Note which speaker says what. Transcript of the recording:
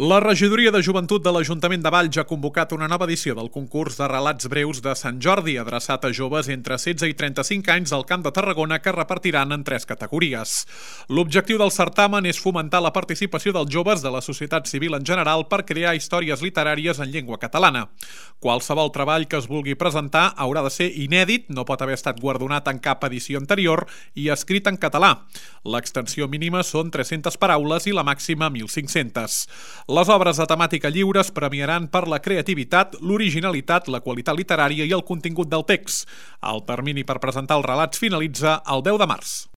Speaker 1: La regidoria de joventut de l'Ajuntament de Valls ha convocat una nova edició del concurs de relats breus de Sant Jordi, adreçat a joves entre 16 i 35 anys al Camp de Tarragona, que repartiran en 3 categories. L'objectiu del certamen és fomentar la participació dels joves de la societat civil en general per crear històries literàries en llengua catalana. Qualsevol treball que es vulgui presentar haurà de ser inèdit, no pot haver estat guardonat en cap edició anterior i escrit en català. L'extensió mínima són 300 paraules i la màxima 1.500. Les obres de temàtica lliure es premiaran per la creativitat, l'originalitat, la qualitat literària i el contingut del text. El termini per presentar els relats finalitza el 10 de març.